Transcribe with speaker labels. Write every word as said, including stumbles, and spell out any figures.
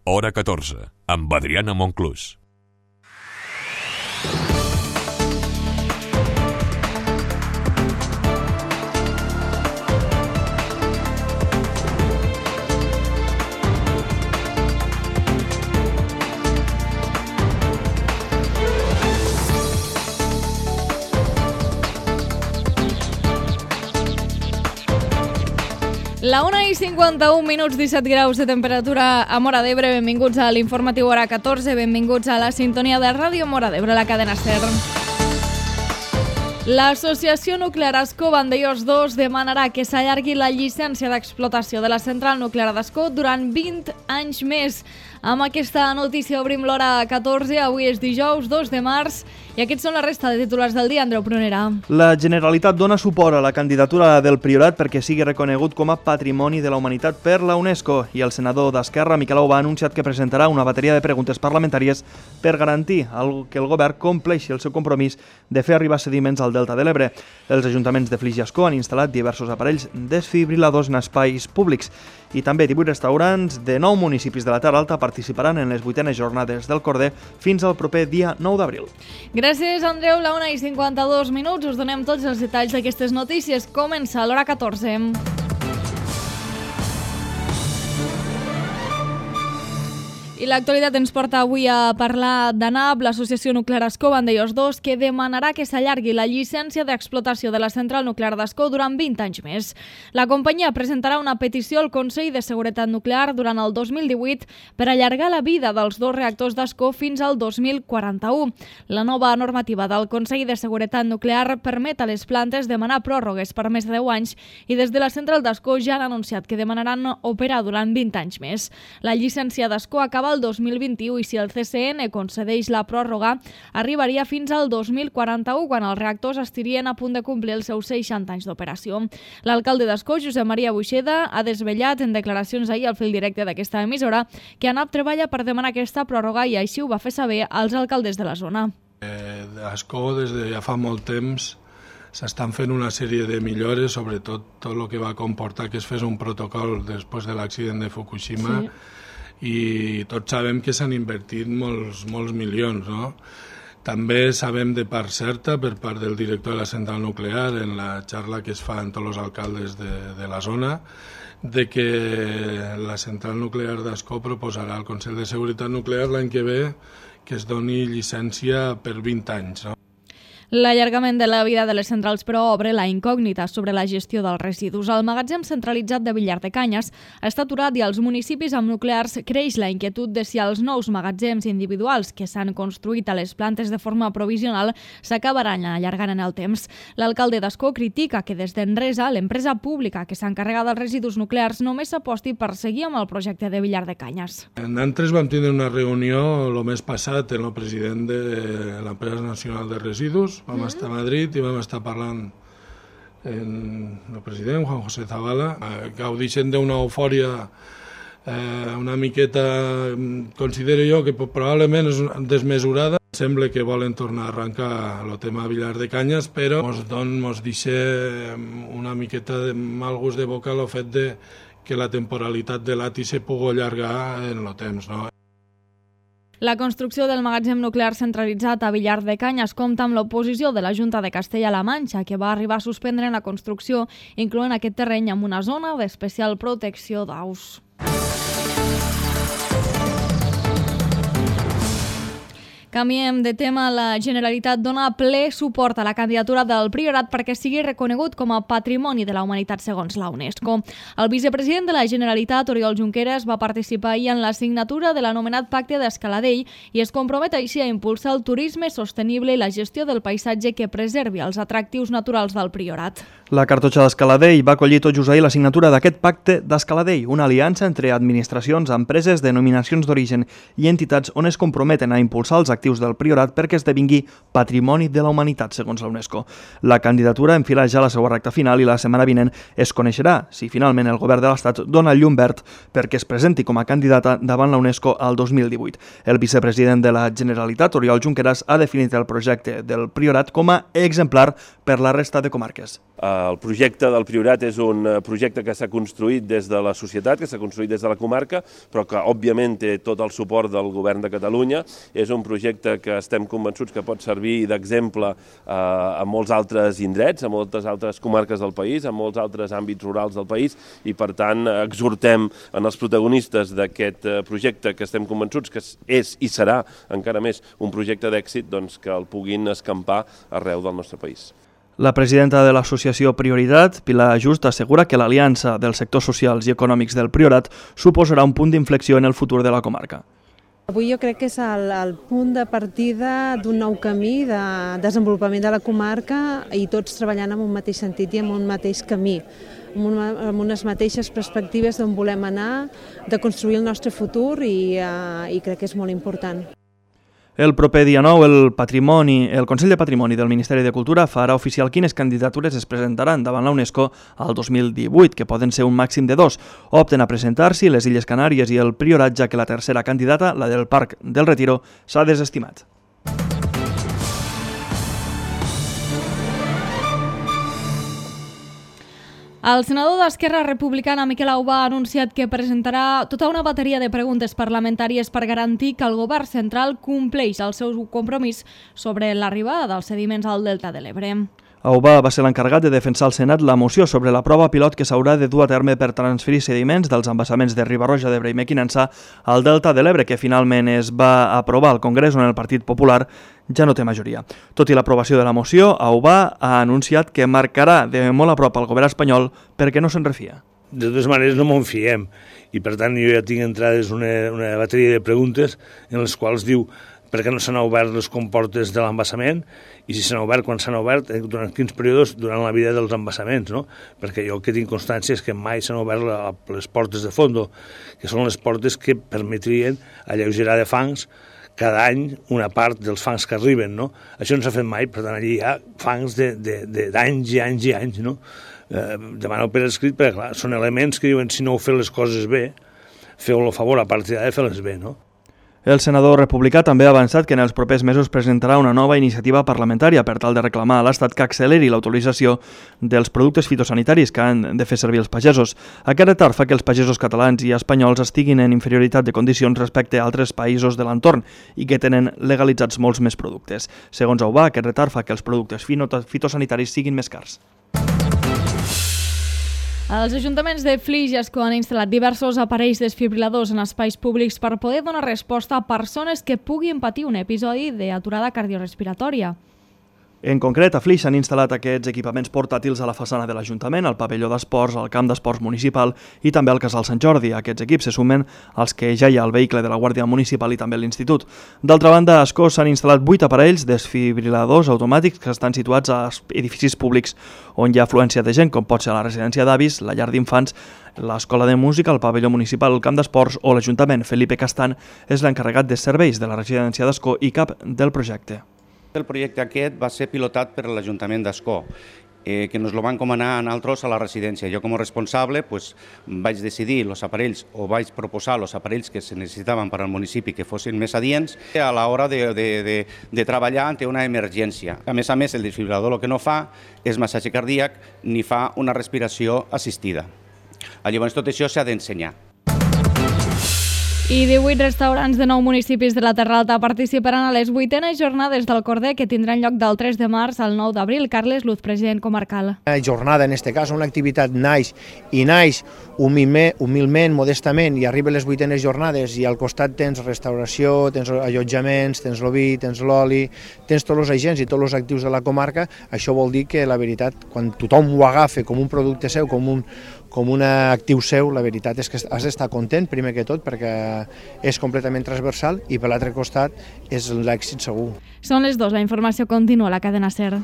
Speaker 1: Hora catorze, amb Adriana Monclús.
Speaker 2: La una i cinquanta-un minuts, disset graus de temperatura a Móra d'Ebre. Benvinguts a l'informatiu Hora catorze, benvinguts a la sintonia de Ràdio Móra d'Ebre, la cadena SER. L'Associació Nuclear Ascó Vandellòs dos demanarà que s'allargui la llicència d'explotació de la central nuclear d'Ascó durant vint anys més. Amb aquesta notícia obrim l'Hora catorze, avui és dijous dos de març i aquests són la resta de titulars del dia. Andreu Prunera.
Speaker 3: La Generalitat dona suport a la candidatura del Priorat perquè sigui reconegut com a Patrimoni de la Humanitat per la UNESCO i el senador d'Esquerra, Miquel Aubà, ha anunciat que presentarà una bateria de preguntes parlamentàries per garantir que el govern compleixi el seu compromís de fer arribar sediments al Delta de l'Ebre. Els ajuntaments de Flix i Ascó han instal·lat diversos aparells desfibriladors en espais públics i també divuit restaurants de nou municipis de la Terra Alta participaran en les vuitenes jornades del Corder fins al proper dia nou d'abril.
Speaker 2: Gràcies, Andreu. La una i cinquanta-dos minuts. Us donem tots els detalls d'aquestes notícies. Comença l'Hora catorze. I l'actualitat ens porta avui a parlar d'ANAP, l'Associació Nuclear Ascó Vandellòs dos, que demanarà que s'allargui la llicència d'explotació de la central nuclear d'Ascó durant vint anys més. La companyia presentarà una petició al Consell de Seguretat Nuclear durant el dos mil divuit per allargar la vida dels dos reactors d'Ascó fins al dos mil quaranta-u. La nova normativa del Consell de Seguretat Nuclear permet a les plantes demanar pròrrogues per més de deu anys i des de la central d'Ascó ja han anunciat que demanaran operar durant vint anys més. La llicència d'Ascó acaba el dos mil vint-i-u i si el C C N concedeix la pròrroga, arribaria fins al dos mil quaranta-u, quan els reactors estarien a punt de complir els seus seixanta anys d'operació. L'alcalde d'Ascó, Josep Maria Buixeda, ha desvetllat en declaracions ahir al fil directe d'aquesta emissora que ANAP treballa per demanar aquesta pròrroga i així ho va fer saber als alcaldes de la zona.
Speaker 4: Eh, Ascó, des de ja fa molt temps, s'estan fent una sèrie de millores, sobretot tot el que va comportar que es fes un protocol després de l'accident de Fukushima. Sí. I tots sabem que s'han invertit molts, molts milions, no? També sabem de part certa, per part del director de la central nuclear, en la xarxa que es fa amb tots els alcaldes de, de la zona, de que la central nuclear d'Ascó proposarà al Consell de Seguretat Nuclear l'any que ve que es doni llicència per vint anys, no?
Speaker 2: L'allargament de la vida de les centrals, però, obre la incògnita sobre la gestió dels residus. El magatzem centralitzat de Villar de Canyes està aturat i als municipis amb nuclears creix la inquietud de si els nous magatzems individuals que s'han construït a les plantes de forma provisional s'acabaran allargant en el temps. L'alcalde d'Ascó critica que des d'Enresa, l'empresa pública que s'encarrega dels residus nuclears, només s'aposti per seguir amb el projecte de Villar de Canyes.
Speaker 4: Nosaltres vam tindre una reunió el mes passat amb el president de l'Empresa Nacional de Residus. Vam mm-hmm. estar a Madrid i vam estar parlant amb el president, Juan José Zavala. Gaudixen d'una eufòria eh, una miqueta, considero jo, que probablement és desmesurada. Sembla que volen tornar a arrencar el tema Villar de Canyes, però ens don, ens deixa una miqueta de mal gust de boca el fet de que la temporalitat de l'A T I se pugui allargar en el temps, no?
Speaker 2: La construcció del magatzem nuclear centralitzat a Villar de Canyes compta amb l'oposició de la Junta de Castella-La Manxa, que va arribar a suspendre la construcció, incloent aquest terreny amb una zona d'especial protecció d'aus. Canviem de tema. La Generalitat dona ple suport a la candidatura del Priorat perquè sigui reconegut com a Patrimoni de la Humanitat segons la UNESCO. El vicepresident de la Generalitat, Oriol Junqueras, va participar ahir en la signatura de l'anomenat Pacte d'Escaladell i es compromet així a impulsar el turisme sostenible i la gestió del paisatge que preservi els atractius naturals del Priorat.
Speaker 3: La cartotxa d'Escaladell va acollir tot just ahir la signatura d'aquest Pacte d'Escaladell, una aliança entre administracions, empreses, denominacions d'origen i entitats on es comprometen a impulsar els actius actius del Priorat perquè esdevingui Patrimoni de la Humanitat, segons la UNESCO. La candidatura enfila ja la seva recta final i la setmana vinent es coneixerà si finalment el govern de l'Estat dona el llum verd perquè es presenti com a candidata davant la UNESCO al dos mil divuit. El vicepresident de la Generalitat, Oriol Junqueras, ha definit el projecte del Priorat com a exemplar per la resta de comarques.
Speaker 5: El projecte del Priorat és un projecte que s'ha construït des de la societat, que s'ha construït des de la comarca, però que òbviament té tot el suport del govern de Catalunya. És un projecte que estem convençuts que pot servir d'exemple a molts altres indrets, a moltes altres comarques del país, a molts altres àmbits rurals del país, i per tant exhortem en els protagonistes d'aquest projecte, que estem convençuts que és i serà encara més un projecte d'èxit, doncs que el puguin escampar arreu del nostre país.
Speaker 3: La presidenta de l'associació Prioritat, Pilar Just, assegura que l'aliança dels sectors socials i econòmics del Priorat suposarà un punt d'inflexió en el futur de la comarca.
Speaker 6: Avui jo crec que és el, el punt de partida d'un nou camí de desenvolupament de la comarca i tots treballant en un mateix sentit i en un mateix camí, amb, una, amb unes mateixes perspectives d'on volem anar, de construir el nostre futur i, uh, i crec que és molt important.
Speaker 3: El proper dia nou, el, patrimoni, el Consell de Patrimoni del Ministeri de Cultura farà oficial quines candidatures es presentaran davant la UNESCO al dos mil divuit, que poden ser un màxim de dos. Opten a presentar-s'hi les Illes Canàries i el Priorat, ja que la tercera candidata, la del Parc del Retiro, s'ha desestimat.
Speaker 2: El senador d'Esquerra Republicana, Miquel Aubà, ha anunciat que presentarà tota una bateria de preguntes parlamentàries per garantir que el govern central compleix el seu compromís sobre l'arribada dels sediments al Delta de l'Ebre.
Speaker 3: Aubà va ser l'encarregat de defensar al Senat la moció sobre la prova pilot que s'haurà de dur a terme per transferir sediments dels embassaments de Riba-roja d'Ebre i Mequinensa al Delta de l'Ebre, que finalment es va aprovar al Congrés, on el Partit Popular ja no té majoria. Tot i l'aprovació de la moció, Aubà ha anunciat que marcarà de molt a prop al govern espanyol perquè no se'n refia.
Speaker 7: De totes maneres no m'en fiem i per tant jo ja tinc entrades una, una bateria de preguntes en les quals diu per què no s'han obert les comportes de l'embassament i si s'han obert, quan s'han obert, durant quins períodes durant la vida dels embassaments, no? Perquè jo el que tinc constància és que mai s'han obert la, les portes de fondo, que són les portes que permetrien alleugerar de fangs cada any una part dels fangs que arriben, no? Això no s'ha fet mai, per tant allí hi ha fangs d'anys i anys i anys, no? Eh, demano per escrit, perquè clar, són elements que diuen si no heu fet les coses bé, feu-lo a favor a partir de fer-les bé, no?
Speaker 3: El senador republicà també ha avançat que en els propers mesos presentarà una nova iniciativa parlamentària per tal de reclamar a l'Estat que acceleri l'autorització dels productes fitosanitaris que han de fer servir els pagesos. Aquest retard fa que els pagesos catalans i espanyols estiguin en inferioritat de condicions respecte a altres països de l'entorn i que tenen legalitzats molts més productes. Segons Aubà, aquest retard fa que els productes fitosanitaris siguin més cars.
Speaker 2: Els ajuntaments de Flix i Ascó han instal·lat diversos aparells desfibriladors en espais públics per poder donar resposta a persones que puguin patir un episodi d'aturada cardiorespiratòria.
Speaker 3: En concret, a Flix s'han instal·lat aquests equipaments portàtils a la façana de l'Ajuntament, al pavelló d'esports, al camp d'esports municipal i també al casal Sant Jordi. Aquests equips se sumen als que ja hi ha al vehicle de la Guàrdia Municipal i també a l'Institut. D'altra banda, a Ascó s'han instal·lat vuit aparells desfibriladors automàtics que estan situats a edificis públics on hi ha afluència de gent, com pot ser la residència d'avis, la llar d'infants, l'escola de música, el pavelló municipal, el camp d'esports o l'Ajuntament. Felipe Castan és l'encarregat de serveis de la residència d'Ascó i cap del projecte.
Speaker 8: El projecte aquest va ser pilotat per l'Ajuntament d'Ascó, eh, que ens el van encomanar a nosaltres a la residència. Jo com a responsable pues, vaig decidir els aparells o vaig proposar els aparells que se necessitaven per al municipi que fossin més adients a l'hora de, de, de, de treballar ante una emergència. A més a més, el desfibrilador el que no fa és massatge cardíac ni fa una respiració assistida. Llavors tot això s'ha d'ensenyar.
Speaker 2: I divuit restaurants de nou municipis de la Terra Alta participaran a les vuitenes jornades del Corder que tindran lloc del tres de març al nou d'abril. Carles Luz, president comarcal.
Speaker 9: Una jornada, en aquest cas, una activitat naix i naix humilment, humilment, modestament, i arriba les vuitenes jornades i al costat tens restauració, tens allotjaments, tens l'oví, tens l'oli, tens tots els agents i tots els actius de la comarca. Això vol dir que la veritat, quan tothom ho agafa com un producte seu, com un, com un actiu seu, la veritat és que has d'estar content, primer que tot, perquè és completament transversal i per l'altre costat és l'èxit segur.
Speaker 2: Són les dues, la informació continua a la cadena SER.